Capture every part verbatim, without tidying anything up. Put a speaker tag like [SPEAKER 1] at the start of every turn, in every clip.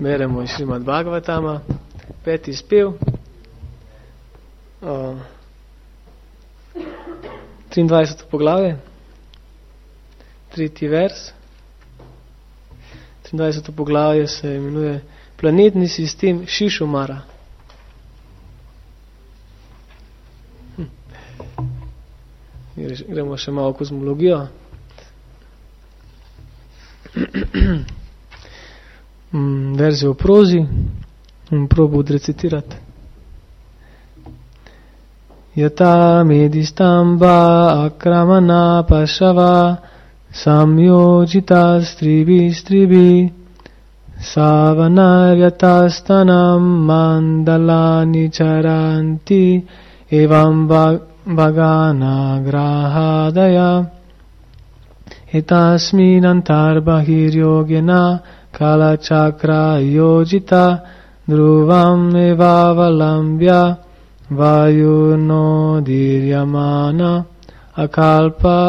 [SPEAKER 1] Beremo iz Šrimad Bhagavatama, peti spev, o, triindvajseto poglavje, tretji vers. triindvajseto poglavje se imenuje Planetni sistem Šišumara. Hm. Gremo še malo kozmologijo. Verzijo v prozi in probo odrecitirati. Yata medistamba akramana pašava samyojita stribi stribi savanaryastastanam mandalani charanti evam vagana grahadaya etasmin antarbahir yogena kala chakra yojita dhruvam evavalambya vayuno diryamana akalpa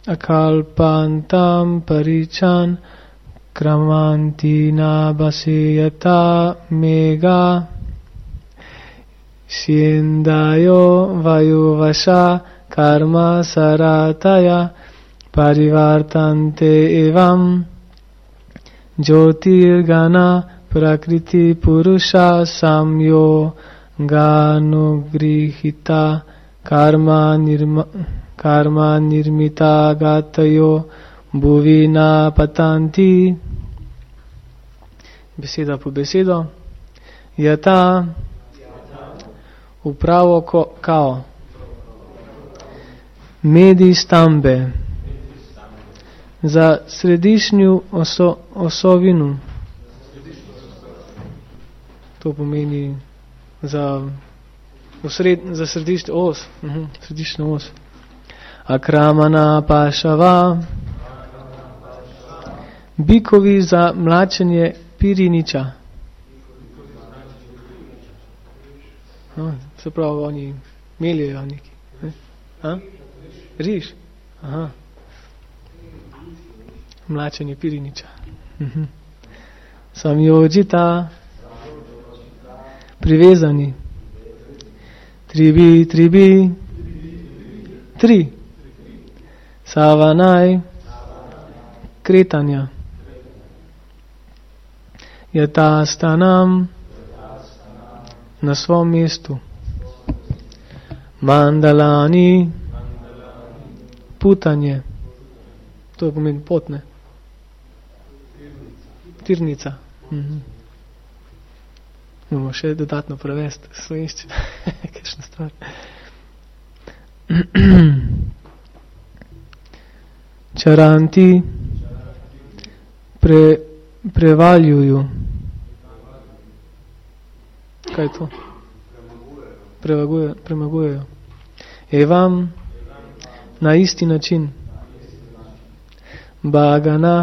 [SPEAKER 1] akalpantam parichan kramantina basiyata mega syendayo vayuvasha karma sarataya parivartante evam jyotirgana prakriti purusha samyo ganugrihita karma nirma karma nirmita gatayo bhuvina patanti. Beseda po besedo. Yata upravo ko, kao medi stambe za središnju oso, osovinu. To pomeni za, osred, za središnjo os. Uh-huh, središnjo os. Akramana pašava. Bikovi za mlačenje piriniča. No, se pravi, oni meljejo neki. A? Riž. Aha. Mlačenje piriniča. Uh-huh. Samyojita. Privezani. Tribi, tribi. Tri. Savanaj. Kretanja. Yatastanam. Na svom mestu. Mandalani. Putanje. To pomeni potne. Tirnica. Mhm. Moramo še dodatno prevesti slovenščino. Kakšna stvar. Čaranti pre, prevaljuju. Kaj je to? Prevaguje, premagujejo. Evam na isti način. Bhagana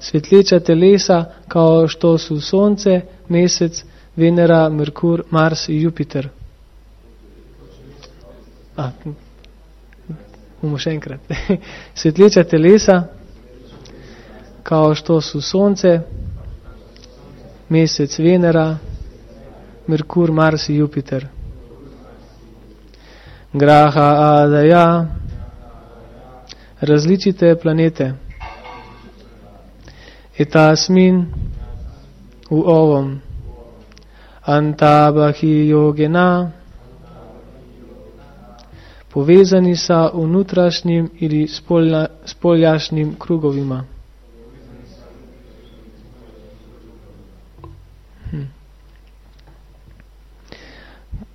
[SPEAKER 1] svetleča telesa, kao što su Sonce, Mesec, Venera, Merkur, Mars i Jupiter. A, bomo še enkrat. Svetleča telesa, kao što su Sonce, Mesec, Venera, Merkur, Mars i Jupiter. Graha Adaya, različite planete. Etasmin, v ovom. Antabahi yogena, povezani sa unutrašnjim ili spolja, spoljašnjim krugovima. Hm.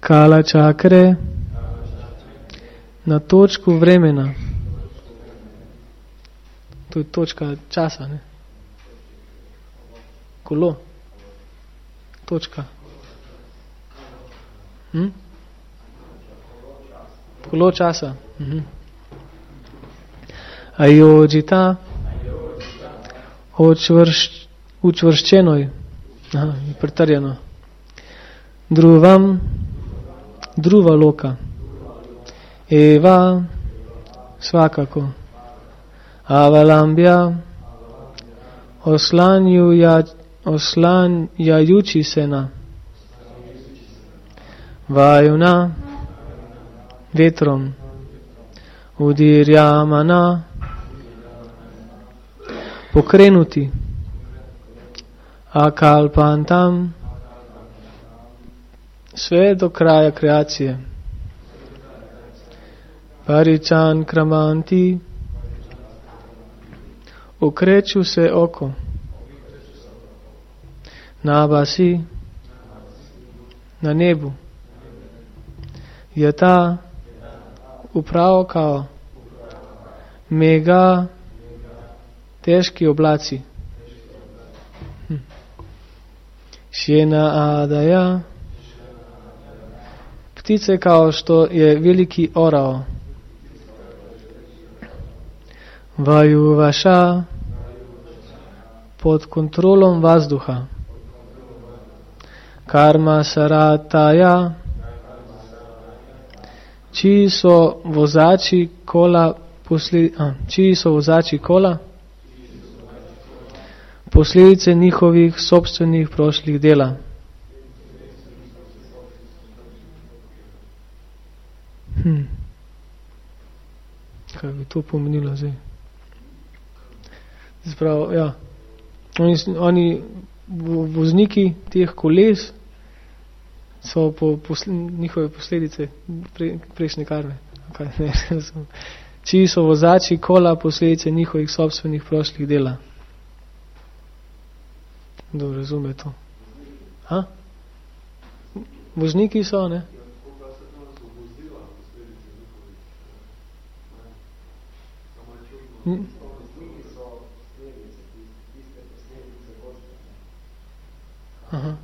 [SPEAKER 1] Kala čakre, na točku vremena. To je točka časa, ne? Kolo. Točka. Hm? Kolo časa. Mhm. Ajojita. Učvrš, učvrščenoj. Aha, pretrjeno. Druvam. Druva loka. Eva. Svakako. Avalambja. Oslanjuja, oslanjajući se na vajuna, vetrom, udirjamana, pokrenuti, akalpantam, sve do kraja kreacije. Parichan kramanti, okreću se oko. Nabasi, na nebu. Jata, upravo kao. Mega, teški oblaci. Hm. Sjena adaja, ptice kao što je veliki orao. Vaju vaša, pod kontrolom vazduha. Karma sarataja, čiji so vozači kola, posle, a, čiji so vozači kola, posledice njihovih sobstvenih prošlih dela. Hm. Kaj bi to pomenilo zdaj? Sprav, ja. Oni, oni vozniki teh koles so po posle, njihove posledice pre, prejšnje karme. Okay, ne, čiji so vozači kola posledice njihovih sobstvenih prošlih dela. Dobro, razume to. Ha? Vozniki so, ne? Hm? Aha.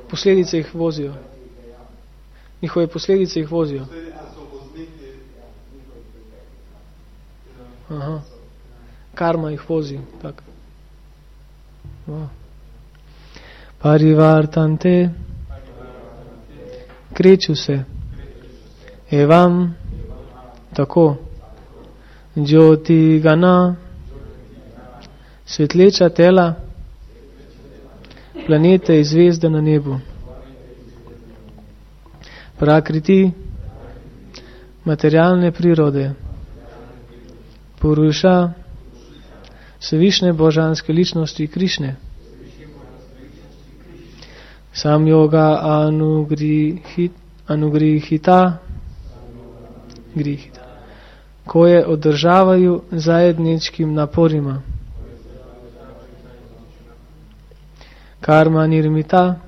[SPEAKER 1] Posledice jih vozijo. Njihove posledice jih vozijo. Aha. Karma jih vozi. Tak. Wow. Parivartante, kreču se. Evam, tako. Jyoti gana, svetleča tela, planete in zvezde na nebu. Prakriti, materialne prirode. Puruša, svevišne božanske ličnosti Krišne. Sam yoga anugrihit, anugrihita, grihita, koje održavaju zajedničkim naporima. Karma nirmita,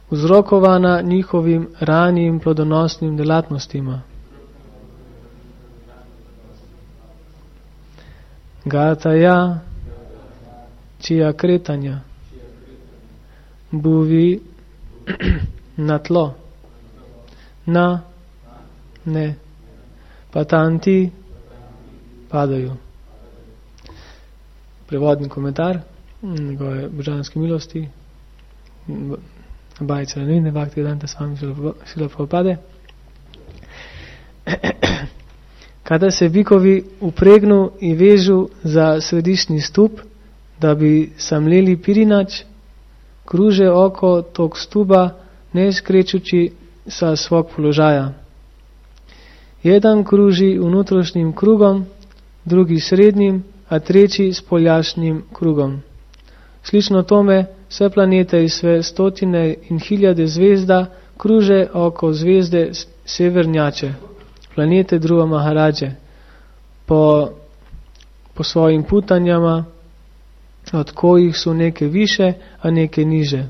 [SPEAKER 1] uzrokovana njihovim ranijim plodonosnim delatnostima. Gataja, čija kretanja. Buvi, na tlo. Na, ne. Patanti, padajo. Prevodni komentar njegove božanske milosti, Bajice Ranine, Bhakti Vedanta Swami Srila Prabhupada. Kada se bikovi upregnu i vežu za središnji stup, da bi samljeli pirinač, kruže oko tog stuba, ne skrećući sa svog položaja. Jedan kruži unutrašnjim krugom, drugi srednjim, a treći spoljašnjim krugom. Slično tome, sve planete i sve stotine in hiljade zvezda kruže oko zvezde severnjače, planete Dhruva Maharađe, po, po svojim putanjama, od kojih su neke više, a neke niže.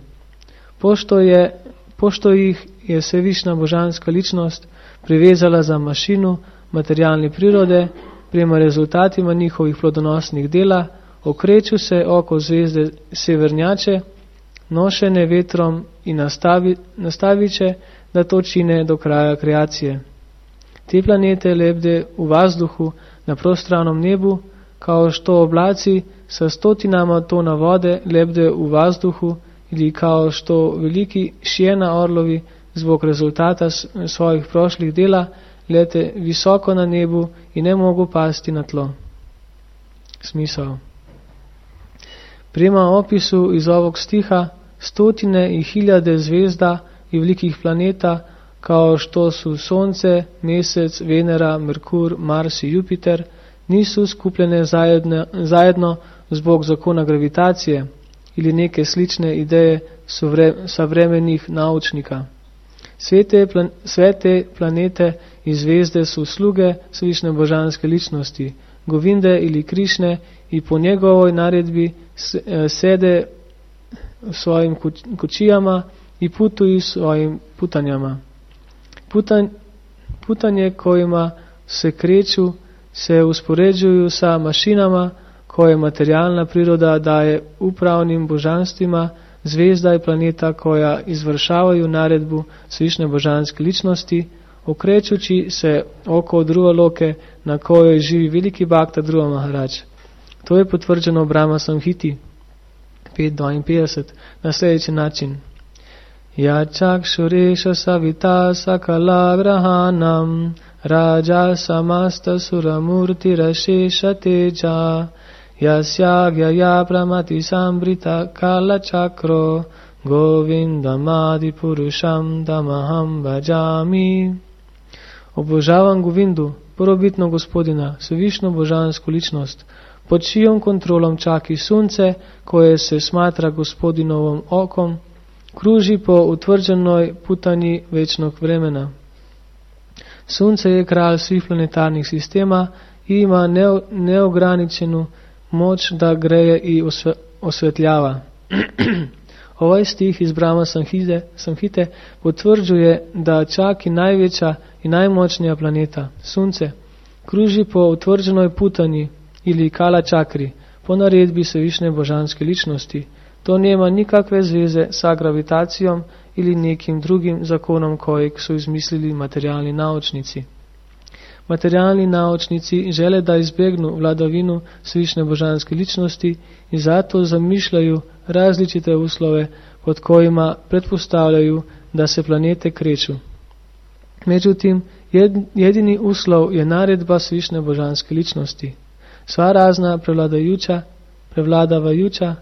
[SPEAKER 1] Pošto, je, pošto ih je svevišna božanska ličnost privezala za mašinu materialne prirode, prema rezultatima njihovih plodonosnih dela, okreću se oko zvezde severnjače, nošene vetrom i nastavi, nastaviće, da to čine do kraja kreacije. Te planete lebde u vazduhu na prostranom nebu, kao što oblaci sa stotinama tona vode lebde u vazduhu ili kao što veliki šijena orlovi zbog rezultata svojih prošlih dela lete visoko na nebu i ne mogu pasti na tlo. smisao. Prema opisu iz ovog stiha, stotine i hiljade zvezda i velikih planeta, kao što su Sonce, Mesec, Venera, Merkur, Mars i Jupiter, nisu skupljene zajedno, zajedno zbog zakona gravitacije ili neke slične ideje savremenih naučnika. Svete, plan, svete planete i zvezde su sluge svišne božanske ličnosti, Govinde ili Krišne, i po njegovoj naredbi sede v svojim kočijama i putuju svojim putanjama. Putan, putanje kojima se kreću se uspoređuju sa mašinama koje materialna priroda daje upravnim božanstvima zvezda i planeta koja izvršavaju naredbu svišne božanske ličnosti, okrećući se oko Dhruva loke na kojoj živi veliki bhakta Dhruva Maharaj. To je potvrđeno u Brahma Samhiti pet dvainpetdeset na sljedeći način. Ja čakšureša savita sakala grahanam raja samasta suramurti rašeša teja yasyagya ya pramati sambrita kala chakro govindamadi purusham tamaham bhajami. Obožavam Govindu, prvobitno gospodina, svevišno božansku ličnost, pod čijom kontrolom čaki sunce, koje se smatra gospodinovom okom, kruži po utvrđenoj putanji večnog vremena. Sunce je kralj svih planetarnih sistema i ima neograničenu moč da greje i osvetljava. Ovaj stih iz Brahma Samhite, Samhite potvrđuje da čak i največja i najmočnija planeta, Sunce, kruži po utvrđenoj putanji ili kala čakri, po naredbi svevišne božanske ličnosti. To nema nikakve zveze sa gravitacijom ili nekim drugim zakonom kojeg su izmislili materialni naučnici. Materialni naučnici žele da izbjegnu vladavinu svišne božanske ličnosti i zato zamišljaju različite uslove pod kojima pretpostavljaju da se planete kreću. Međutim, jedini uslov je naredba svišne božanske ličnosti. Sva razna prevladajuća, prevladavajuća,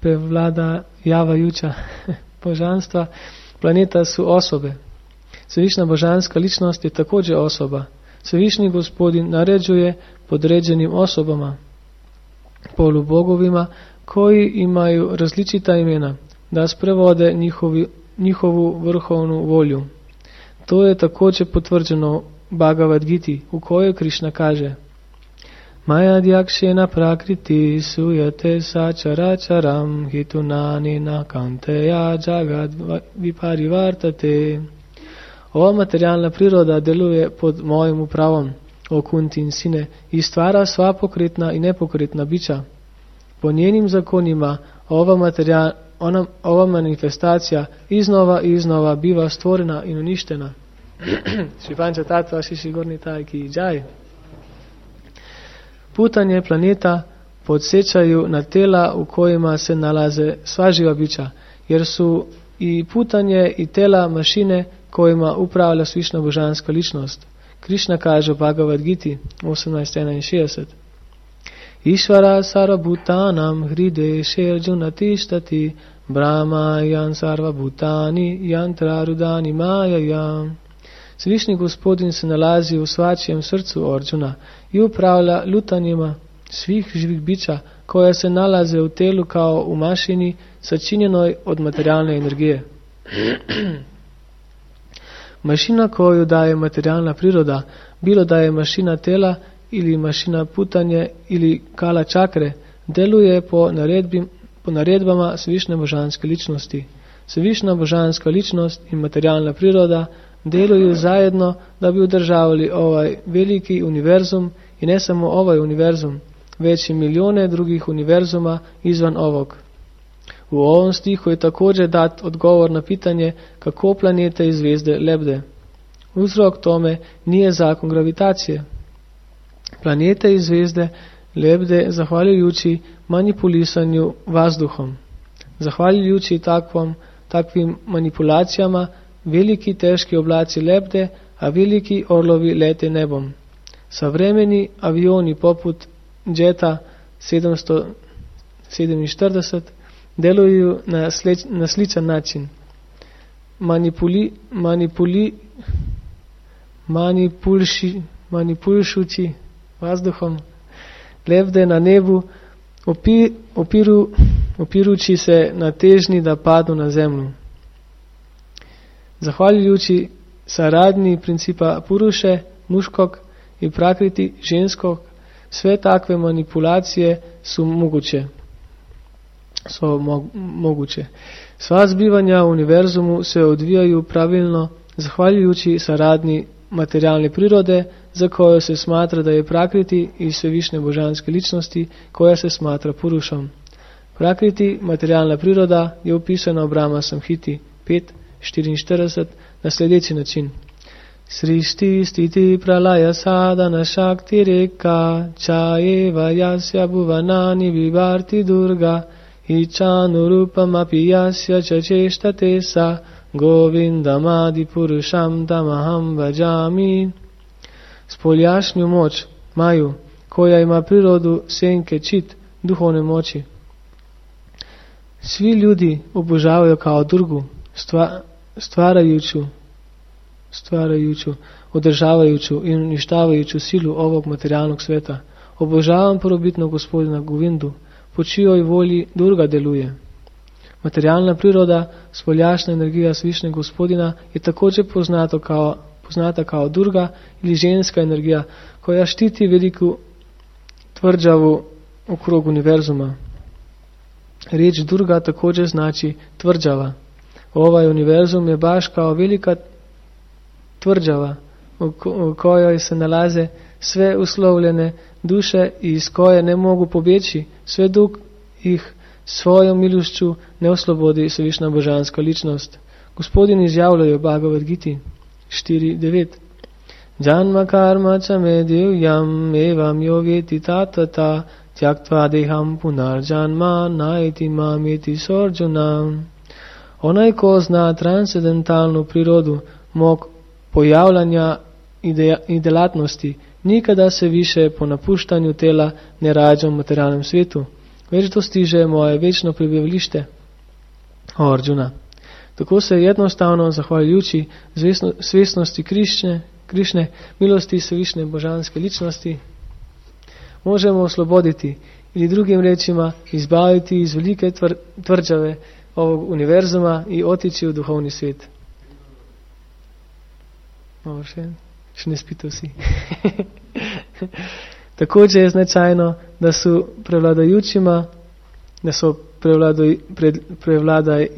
[SPEAKER 1] prevladajavajuća božanstva planeta su osobe. Svevišna božanska ličnost je također osoba. Svevišni gospodin naređuje podređenim osobama, polubogovima, koji imaju različita imena, da sprevode njihovi, njihovu vrhovnu volju. To je također potvrđeno Bhagavad Giti, u kojoj Krišna kaže: Mayadhyakshena prakriti suyate sacharacharam hitunani nakanteya jagad viparivartate. Ova materialna priroda deluje pod mojim upravom, o Kuntin sine, i stvara sva pokretna i nepokretna bića. Po njenim zakonima ova, materijal, ona, ova manifestacija iznova i iznova biva stvorena i uništena. Šripanča tatva šiši gorni tajki džaj. Putanje planeta podsjećaju na tela u kojima se nalaze sva živa bića, jer su i putanje i tela mašine kojima upravlja svišna božanska ličnost. Krišna kaže u Bhagavad Giti osemnaest enainšestdeset: Išvara sarvabhutanam hride šerjuna tištati brahma yan sarvabhutani yantrarudani majayam. Svišni gospodin se nalazi u svačijem srcu Arjuna i upravlja lutanjima svih živih bića koja se nalaze u telu kao u mašini sačinjenoj od materijalne energije. Mašina koju daje materijalna priroda, bilo da je mašina tela ili mašina putanje ili kala čakre, deluje po, naredbi, po naredbama svišne božanske ličnosti. Svišna božanska ličnost in materialna priroda deluju zajedno, da bi održavali ovaj veliki univerzum, i ne samo ovaj univerzum, već i milijone drugih univerzuma izvan ovog. U ovom stihu je također dat odgovor na pitanje kako planete i zvezde lebde. Uzrok tome nije zakon gravitacije. Planete i zvezde lebde zahvaljujući manipulisanju vazduhom. Zahvaljujući takvom, takvim manipulacijama veliki teški oblaci lebde, a veliki orlovi lete nebom. Savremeni avioni poput Jeta sedemsto sedeminštirideset deluju na, sleč, na sličan način. Manipuli, manipuli, manipulši, manipulšući vazduhom lebde na nebu, opi, opiru, opirući se na težnji da padnu na zemlju. Zahvaljujući saradnji principa Puruše, muškog, i prakriti, ženskog, sve takve manipulacije su moguće. So mo- moguće. Sva zbivanja u univerzumu se odvijaju pravilno zahvaljujući saradnji materialne prirode, za koju se smatra da je prakriti i svevišnje božanske ličnosti, koja se smatra Purušom. Prakriti, materialna priroda, je opisana u Brahma Samhiti pet štiriinštirideset na sljedeći način. Srišti stiti pralaya sadana shakti reka čajeva jasya bhuvanani vivarti durga ičanurupam api jasya čačeštate sa govindamadi purušam tamaham vajami. Spoljašnju moć, Maju, koja ima prirodu senke čit, duhovne moći. Svi ljudi obožavaju kao Durgu, stva, stvarajuću, stvarajuću, održavajuću i uništavajuću silu ovog materialnog sveta. Obožavam prvobitnog gospodina Govindu, po čijoj volji Durga deluje. Materialna priroda, spoljašna energija svišnjeg gospodina je također poznato kao, poznata kao Durga ili ženska energija, koja štiti veliku tvrđavu okrog univerzuma. Riječ Durga također znači tvrđava. Ovaj univerzum je baš kao velika tvrđava u kojoj se nalaze sve uslovljene duše i iz koje ne mogu pobjeći, sve dok ih svojom milošću ne oslobodi svevišnja božanska ličnost. Gospodin izjavljuje u Bhagavad Giti štiri devet. Janma karma chame divyam evam yogeti tatvata tyaktva deham punar janma naiti mameti sorjunam. Onaj ko zna transcendentalnu prirodu mog pojavljanja i delatnosti, nikada se više po napuštanju tela ne rađa u materialnem svijetu, već dostiže moje večno prebivalište. O Arjuna, tako se jednostavno zahvaljujući svjesnosti Krišne, Krišne, milosti svevišnje božanske ličnosti, možemo osloboditi ili drugim rečima izbaviti iz velike tvr, tvrđave ovog univerzuma i otići u duhovni svijet. Ovo še, še ne spite vsi. Također je značajno, da su prevladajućima, da su prevladaj, pred, prevladaj,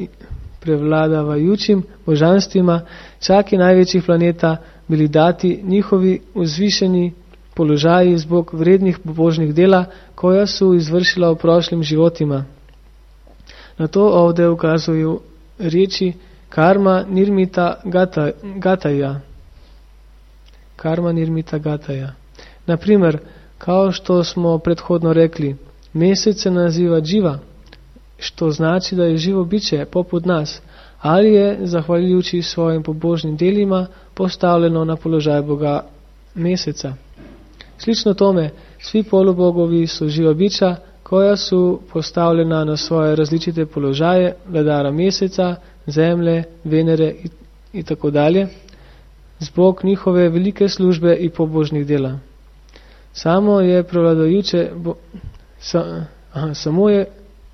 [SPEAKER 1] prevladavajućim božanstvima čak i najvećih planeta bili dati njihovi uzvišeni položaji zbog vrednih božnih dela, koja su izvršila u prošlim životima. Na to ovdje ukazuju riječi karma nirmita gata, gataja. Karma nirmita gataja. Na primjer, kao što smo prethodno rekli, mjesec se naziva dživa, što znači da je živo biće poput nas, ali je, zahvaljujući svojim pobožnim delima, postavljeno na položaj Boga mjeseca. Slično tome, svi polubogovi su živa bića, koja su postavljena na svoje različite položaje vladara mjeseca, zemlje, Venere i, i tako dalje, zbog njihove velike službe i pobožnih dela. Samo je prevladajuće bo, sa, aha, samo je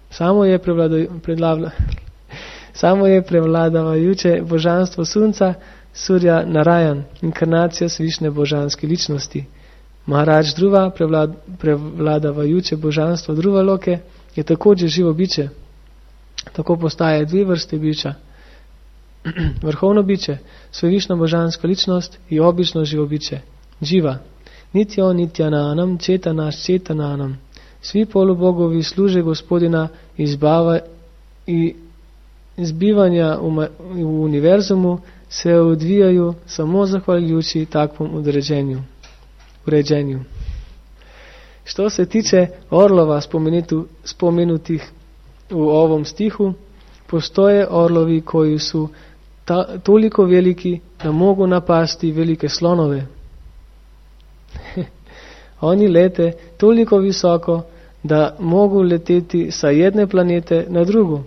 [SPEAKER 1] samo je prevladavajuće samo je prevladavajuće božanstvo sunca, Surja Narayan, inkarnacija svišne božanske ličnosti. Maharaj Dhruva, prevlad, prevladavajuće božanstvo Dhruva Loke, je također živo biće. Tako postaje dvije vrste bića. Vrhovno biće, svevišna božanska ličnost i obično živo biće. Dživa. Nityo nityananam četanaš četananam. Svi polubogovi služe gospodina izbava i izbivanja u, ma, u univerzumu se odvijaju samo zahvaljujući takvom uređenju. uređenju. Što se tiče orlova spomenutih u ovom stihu, postoje orlovi koji su ta, toliko veliki da mogu napasti velike slonove. Oni lete toliko visoko, da mogu leteti sa jedne planete na drugu.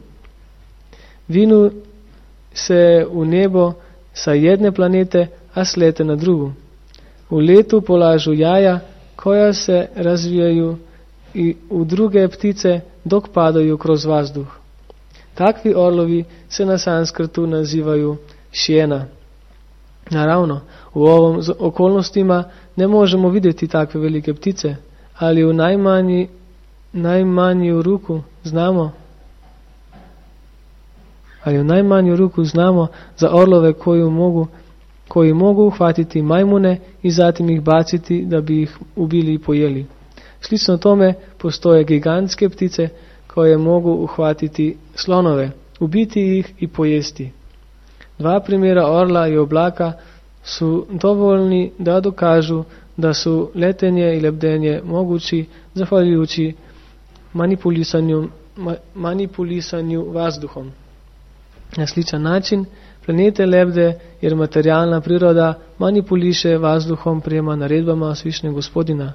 [SPEAKER 1] Vinu se v nebo sa jedne planete, a slete na drugu. V letu polažu jaja, koja se razvijaju i u druge ptice, dok padaju kroz vazduh. Takvi orlovi se na sanskrtu nazivaju šjena. Naravno, u ovom okolnostima ne možemo vidjeti takve velike ptice, ali u najmanji, najmanju ruku znamo ali u najmanju ruku znamo za orlove koji mogu, koji mogu uhvatiti majmune i zatim ih baciti da bi ih ubili i pojeli. Slično tome postoje gigantske ptice koje mogu uhvatiti slonove, ubiti ih i pojesti. Dva primjera orla i oblaka su dovoljni da dokažu da su letenje i lebdenje mogući zahvaljujući manipulisanju, ma, manipulisanju vazduhom. Na sličan način planete lebde jer materialna priroda manipuliše vazduhom prema naredbama Svišnjeg Gospodina.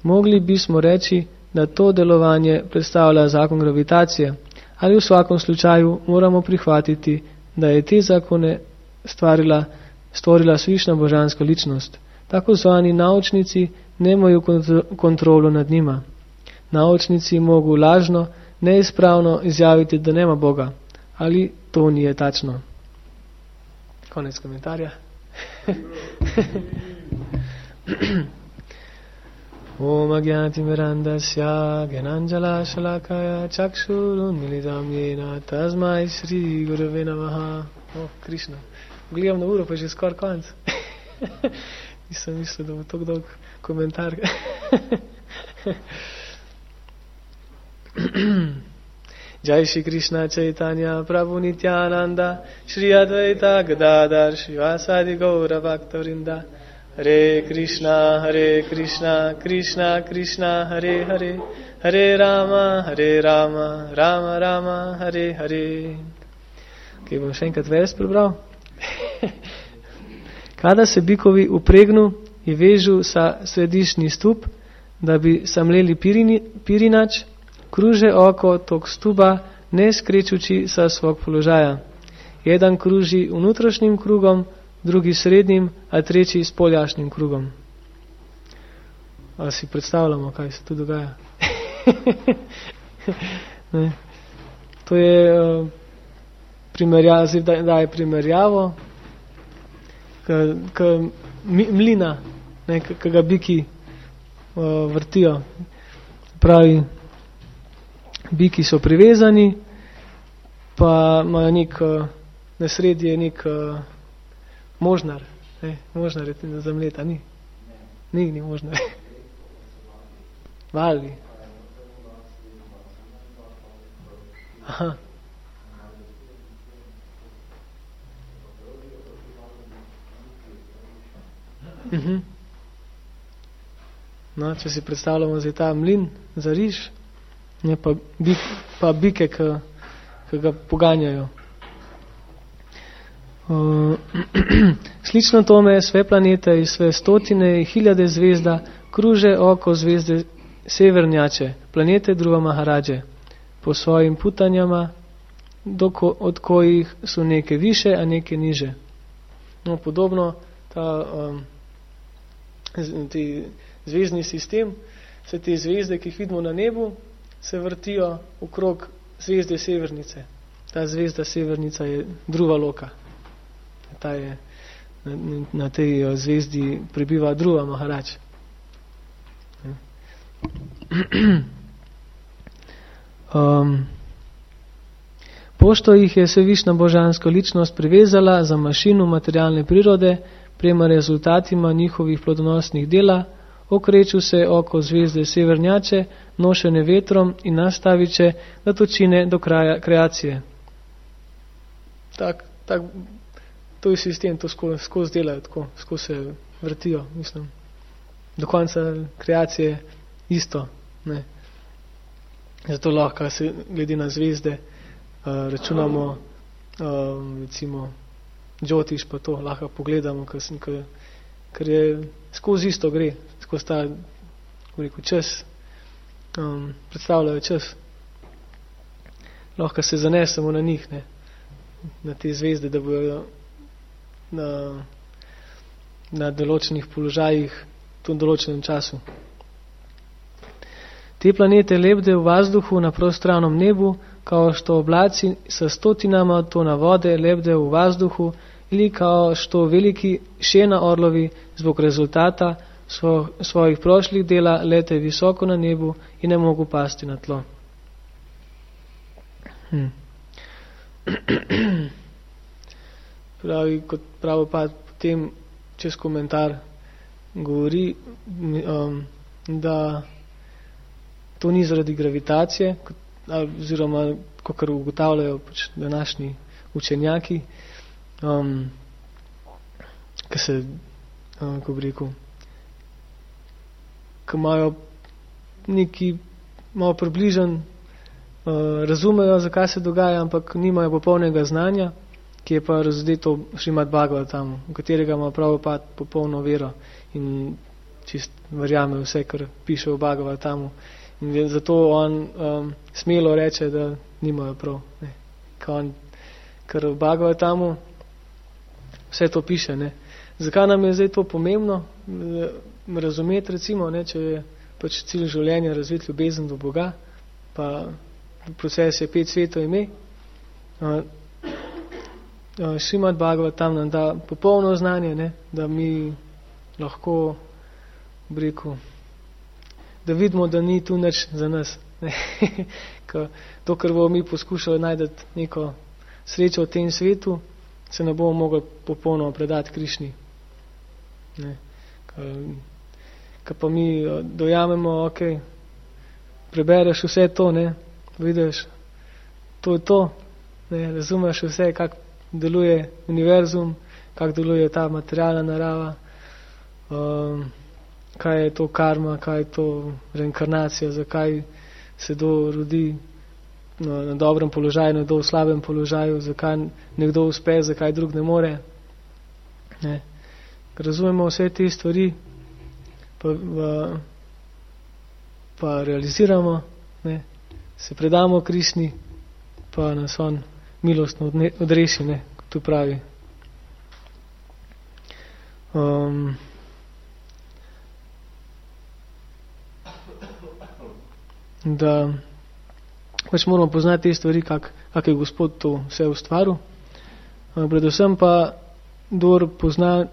[SPEAKER 1] Mogli bismo reći da to delovanje predstavlja zakon gravitacije, ali v svakom slučaju moramo prihvatiti, da je te zakone stvarila, stvorila Svišnja božanska ličnost. Tako zvani naučnici nemajo kontrolu nad njima. Naučnici mogu lažno, neispravno izjaviti, da nema Boga, ali to nije tačno. Konec komentarja. Om Agyati Mirandasya Gyananjala Shalakaya Chakshurun Milidam Yena Tasmai Shri Gurave Namaha. Oh, Krishna. Gledam na uro, pa je že skoraj konc. Nisem mislil, da bo tako dolg komentar. Jai Shri Krishna Chaitanya Prabhu Nityananda Shri Advaita Gadadhar Shivasadi Gaura Bhaktavrinda. Hare Krishna, Hare Krishna, Krishna Krishna, Hare Hare, Hare Rama, Hare Rama, Rama Rama, Hare Hare. Ok, bom še enkrat vers prebral. Kada se bikovi upregnu i vežu sa središnji stup, da bi samleli pirini, pirinač, kruže oko tog stuba, ne skrećući sa svog položaja. Jedan kruži unutrašnjim krugom, drugi srednjim, a treći spoljašnjim krugom. A si predstavljamo, kaj se tu dogaja? Ne. To je uh, primerjava, da, da je primerjavo k, k mlina, ne, k, k ga biki uh, vrtijo. Pravi, biki so privezani, pa imajo nek, uh, na sredi je nek uh, možnar, ne, možnar je za mleta, ni? Ni, ni možnar. Vali. Aha. Mhm. No, če si predstavljamo zdaj ta mlin za riž, ne, pa, bik, pa bike, ki ga poganjajo. Uh, slično tome sve planete i sve stotine i hiljade zvezda kruže oko zvezde severnjače, planete Dhruva Maharađe, po svojim putanjama, doko, od kojih su neke više, a neke niže. No, podobno ta um, zvezdni sistem, vse te zvezde, ki jih vidimo na nebu, se vrtijo okrog zvezde Severnice. Ta zvezda Severnica je Dhruva Loka. Ta je, na, na tej zvezdi prebiva Dhruva Maharađ. Um, pošto ih je Svevišnja božanska ličnost privezala za mašinu materialne prirode, prema rezultatima njihovih plodonosnih dela, okreću se oko zvezde Severnjače, nošene vetrom in nastaviće da točine do kraja kreacije. Tak, tak, to je sistem, to skozi, skozi delajo, tako, skozi se vrtijo, mislim. Do konca kreacije isto, ne. Zato lahko se glede na zvezde uh, računamo, uh, recimo, Džotiš pa to lahko pogledamo, ker je skozi isto gre, skozi ta, rekel, čas, um, predstavljajo čas. Lahko se zanesemo na njih, ne, na te zvezde, da bojo na, na določenih položajih v določenem času. Te planete lebde v vazduhu na prostranom nebu, kao što oblaci sa stotinama tona vode lebde u vazduhu ili kao što veliki šena orlovi zbog rezultata svo, svojih prošlih dela lete visoko na nebu i ne mogu pasti na tlo. Hm. Pravi, kot Prabhupada potem čez komentar govori, um, da to ni zaradi gravitacije, oziroma kakor ugotavljajo pač današnji učenjaki, um, ki se, um, ko bi rekel, ki imajo neki malo približen, uh, razumejo, zakaj se dogaja, ampak nimajo popolnega znanja, ki je pa razdeto Šrimad Bhagavatamu, v katerega ima Prabhupada popolno vero in čist verjame vse, kar piše v Bhagavatamu. In zato on um, smelo reče, da nimajo prav. Ne. On, ker v Bhagavatamu vse to piše. Ne. Zakaj nam je zdaj to pomembno razumeti, recimo, ne, če je pač cilj življenja razviti ljubezen do Boga, pa proces je pet svetov ime. Uh, uh, Šrimad Bhagavatam nam da popolno znanje, ne, da mi lahko, bi rekel, da vidimo, da ni tu nič za nas. To, kar bomo mi poskušali najti neko srečo v tem svetu, se ne bomo mogli popolnoma predati Krišni. Ko pa mi dojamemo, ok, prebereš vse to, ne, vidiš, to je to, ne, razumeš vse, kako deluje univerzum, kako deluje ta materialna narava, um, kaj je to karma, kaj je to reinkarnacija, zakaj se kdo rodi na, na dobrem položaju, nekdo v slabem položaju, zakaj nekdo uspe, zakaj drug ne more. Ne. Razumemo vse te stvari, pa, pa, pa realiziramo, ne. Se predamo Krišni, pa nas on milostno odreši, ne, kot tu pravi. Um, da pač moramo poznati te stvari, kak, kak je Gospod to vse ustvaril. Predvsem pa, kdor pozna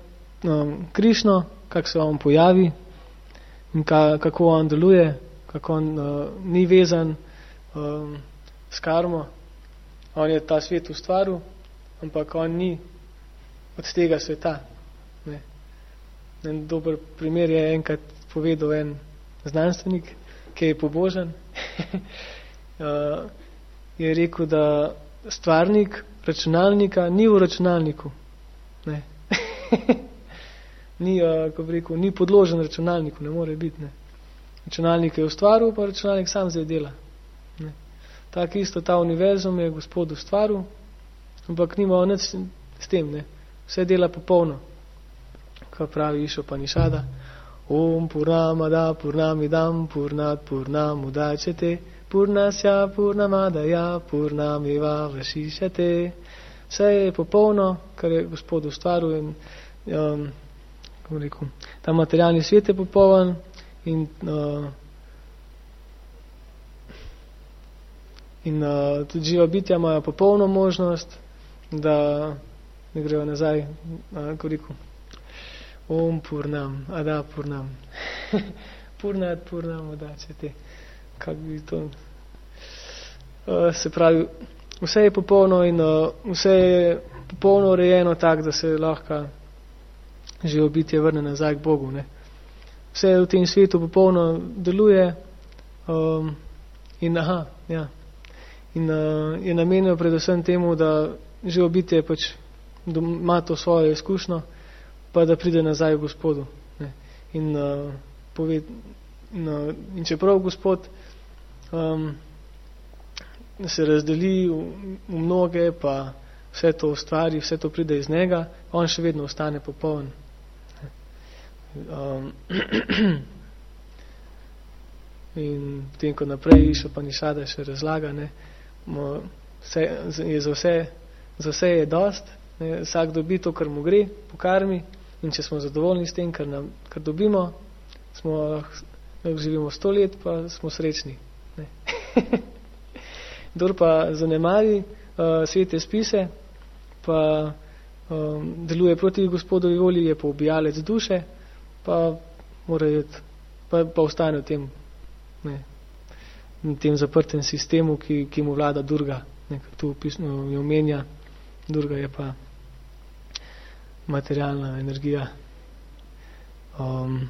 [SPEAKER 1] um, Krišno, kak se on pojavi in ka, kako on deluje, kako on uh, ni vezan um, s karmo. On je ta svet ustvaril, ampak on ni od tega sveta. Ne. En dober primer je enkrat povedal en znanstvenik, ki je pobožen, uh, je rekel, da stvarnik računalnika ni v računalniku. Ne. ni, uh, ko bi rekel, ni podložen računalniku, ne more biti. Ne. Računalnik je ustvaril, pa računalnik sam zdaj dela. Ne. Tako isto ta univerzum je Gospod ustvaril, ampak nima nič s tem. Ne. Vse dela popolno. Ko pravi Išopanishada, Om Purnamada Purnamidam Purnat Purnamudacete Purnasya Purnamadaya Purnameva Vašišate. Vse je popolno, kar je Gospod ustvaril in um, kako rekel, ta materialni svet je popoln in uh, in uh, tudi živa bitja imajo popolno možnost, da ne grejo nazaj, uh, kako rekel, Om Purnam, Ada Purnam. Purnat Purnam, Ada, če te. Kako bi to... Uh, se pravi, vse je popolno in uh, vse je popolno urejeno tak, da se lahko živo bitje vrne nazaj k Bogu. Ne. Vse v tem svetu popolno deluje um, in aha, ja. In uh, je namenjeno predvsem temu, da živo bitje pač ima to svojo izkušnjo, pa da pride nazaj v Gospodu. Ne. In, uh, pove, in, uh, in čeprav Gospod um, se razdeli v, v mnoge, pa vse to ustvari, vse to pride iz njega, on še vedno ostane popoln. Um, in potem, ko naprej išel Upanishada še razlaga, ne, vse, je za, vse, za vse je dost, ne, vsak dobi to, kar mu gre po karmi, in če smo zadovoljni s tem, kar, nam, kar dobimo, smo, lahko živimo sto let, pa smo srečni. Ne. Kdor pa zanemari uh, svete spise, pa um, deluje proti Gospodovi volji, je pa ubijalec duše, pa mora jeti, pa, pa ostane v tem, ne, v tem zaprtem sistemu, ki, ki mu vlada Durga. Ne, tu pisno je omenja, Durga je pa materialna energija. Um,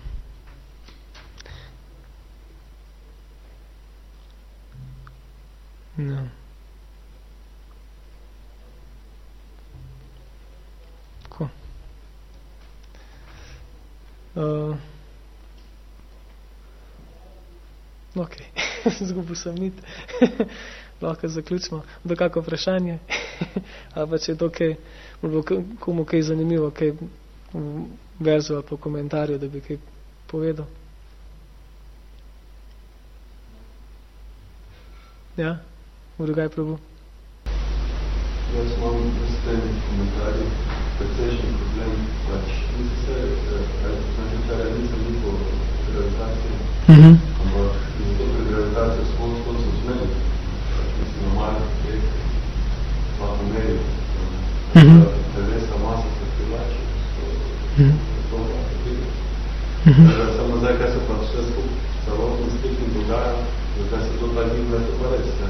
[SPEAKER 1] no. Tako. Uh, ok, zgubil sem nit. Lahko zaključimo. Do kako vprašanje? Ali pa če je to kaj, bo komu kaj zanimivo, kaj verzu ali po komentarju, da bi kaj povedal. Ja? Urugaj probu.
[SPEAKER 2] Jaz imam s tem komentarji precejšnji problem, pač nisem se, načečarja nisem nikol gravitacije,
[SPEAKER 1] mm-hmm.
[SPEAKER 2] ampak zato pri gravitacijo skod skod so zmeri, pač mislim normalno prek lahko meri,
[SPEAKER 1] mm-hmm.
[SPEAKER 2] telesa masa se privlači,
[SPEAKER 1] mm-hmm.
[SPEAKER 2] to lahko vidi.
[SPEAKER 1] Mm-hmm.
[SPEAKER 2] Samo zdaj, kaj se pa vse skup celotno s tem dogaja, zakaj se to tak njim leto pa res, ne,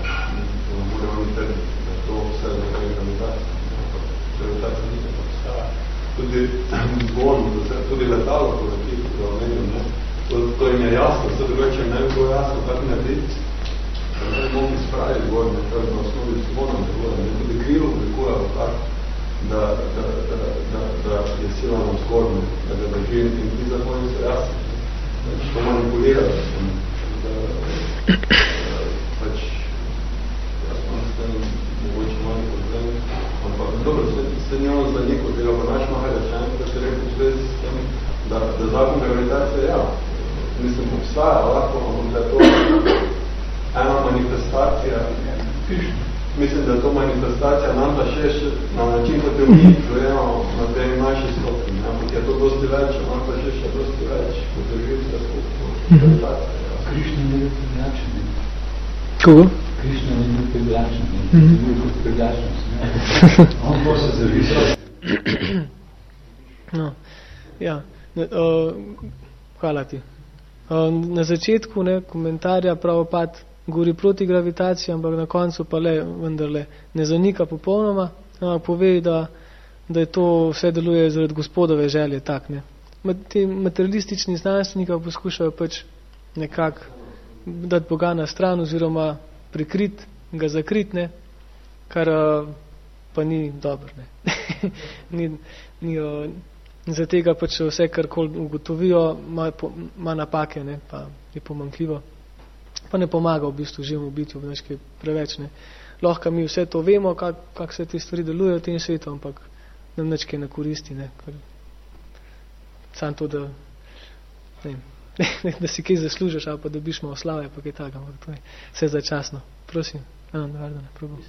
[SPEAKER 2] to ne bude oni trditi, da to vse nekaj gravitacije. Gravitacija nikaj pa postaja. Tudi zborno, tudi letalo, ko leti, ko ga omenim, ne, to, to jim je jasno, vse drugače ne bi bilo jasno, kako narediti. Ne mogu spraviti zborno, to je na osnovi zborno, ne tudi krilo oblikuje tako, da, da, da, da, da je sila na zgornjo, da ga drži in ti zakoni so jasni. Pač to manipulira, da, da pač jaz imam s tem mogoče manj problem, ampak dobro, se njeno za neko tega pa naš maha rečen, da se rekel v zvezi s tem, da, da zakon gravitacije, ja, mislim, obstaja, lahko, ampak da je to ena manifestacija, mislim, da je to manifestacija nam pa še na način, kot je mi čujemo na tej naši stopni, ampak je to dosti več, nam pa še še dosti več, kot je živita skupno gravitacija.
[SPEAKER 3] Krišna ni bil privlačen.
[SPEAKER 1] Kogo?
[SPEAKER 3] Krišna ni bil privlačen. Ni bil kot privlačen. On bo se zavisal.
[SPEAKER 1] No, ja. Ne, uh, hvala ti. Uh, na začetku ne, komentarja Prabhupada govori proti gravitaciji, ampak na koncu pa le, vendarle, ne zanika popolnoma, ampak pove, da, da je to vse deluje zaradi Gospodove želje, tak, ne. Ti materialistični znanstveniki poskušajo pač nekako dati Boga na stran oziroma prikrit, ga zakrit, ne, kar pa ni dobro, ne. ni, ni, za tega pač vse, kar ugotovijo, ima, ima napake, ne, pa je pomanjkljivo. Pa ne pomaga v bistvu živemu bitju, nekaj preveč, ne. Lahko mi vse to vemo, kako kak se te stvari delujejo v tem svetu, ampak nam nekaj ne koristi, ne. Kar, sam to, da, ne, da si kaj zaslužiš, ali pa dobiš malo slave, pa kaj tako, ampak to je vse začasno. Prosim, Ana, navarda, ne probam.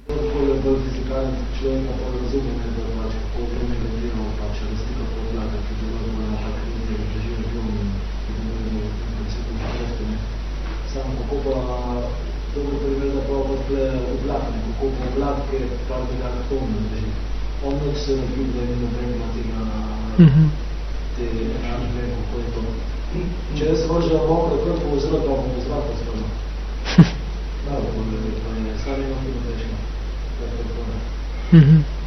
[SPEAKER 4] Bolj je bolj fizikalni človek, pa razumem, da pač kako negativno pač razlika podlaga, ki delujemo na tak krizi, da živimo film in delujemo v principu življenje, ne. Samo kako pa dobro primer, da pa odle oblak, ne, kako pa oblak, ker je prav tega atomno drži. On nek se nabil, da je nobrenila tega, mm-hmm. te enake, kako je to. Če jaz vržem mokro krpo v zrak, pa v zrak pozvrlo. Dobro, bolj je to, ne, sam imam tudi teško.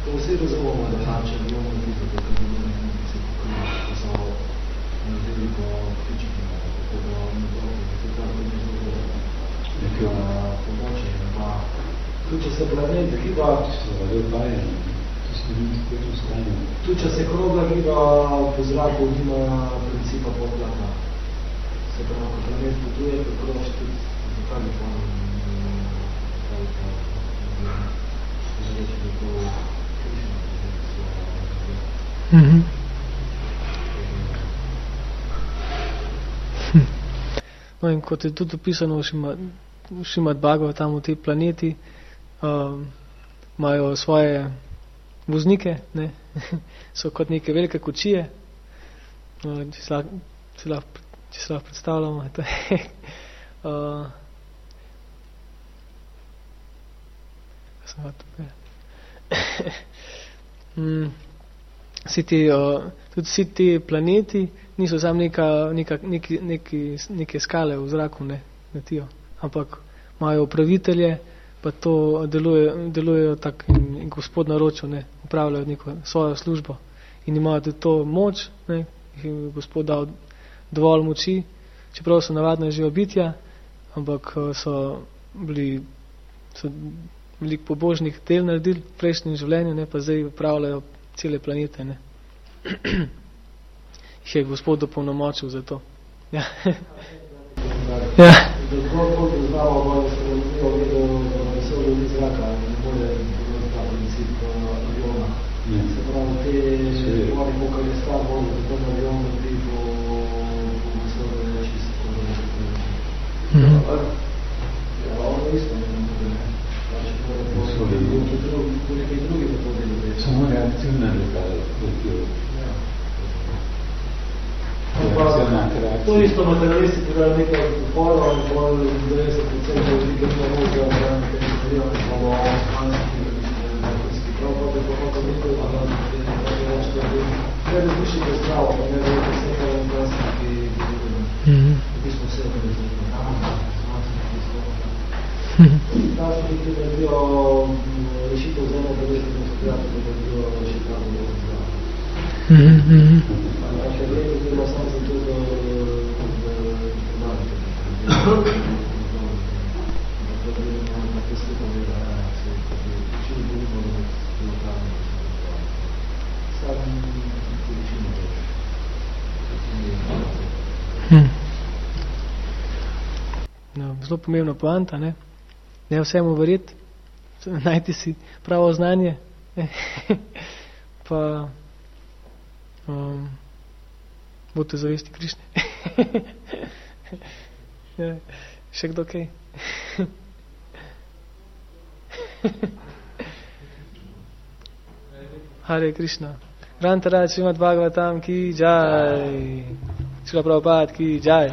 [SPEAKER 4] To vsi razumemo, da hače, da imamo tudi tako, da imamo se pokrili, da so veliko fičiki, tako da ne dobro, da se tako ne zelo nekaj pomoči. Tudi če se planet giba, tudi če se krogla giba po zraku, nima principa podlaka. Se pravi, ko planet potuje, kako še tudi zakaj je pa reči, da to Krišna,
[SPEAKER 1] mm-hmm. No in kot je tudi opisano v Šimad, Šimad Bhagavatam, v te planeti um, imajo svoje voznike, ne? So kot neke velike kočije, uh, če se lahko, če lahko, če se lahko predstavljamo. To je, uh, mm, vsi ti, uh, tudi vsi ti planeti niso samo neka, neka, neki, neki, neke skale v zraku, ne, letijo, ampak imajo upravitelje, pa to deluje, delujejo tak in, in gospod naročil, ne, upravljajo neko svojo službo in imajo tudi to moč, ne, jih je gospod dal dovolj moči, čeprav so navadno živa bitja, ampak so bili so veliko pobožnih del naredili v prejšnjem življenju, ne, pa zdaj upravljajo cele planete, ne. Jih je gospod dopolnomočil za to. Ja. Ja.
[SPEAKER 3] Samo reakcijna letala.
[SPEAKER 4] To isto materialisti, ki da nekaj odporov in pol devetdeset procentov velike mnogo za nekaj stvarjava, ki bomo osmanski, nekajski prav, pa bi pomočil nekaj, da je več, da bi ne različite zdravo, pa ne da je nekaj osmanski, ki bi bismo vse organizirali. Ta so ki ti naredijo rešitev z eno devetdeset procentov, da bi bilo rešitev zdravo. Če vredi, zdaj sam za to, da
[SPEAKER 1] zelo pomembna poanta, ne? Ne vsemu verjeti, najti si pravo znanje, pa um, bote zavesti Krišne. Ja, še kdo kaj? Hare Krishna. Grantaraj Srimad Bhagavatam ki jai. Srila Prabhupada ki jai.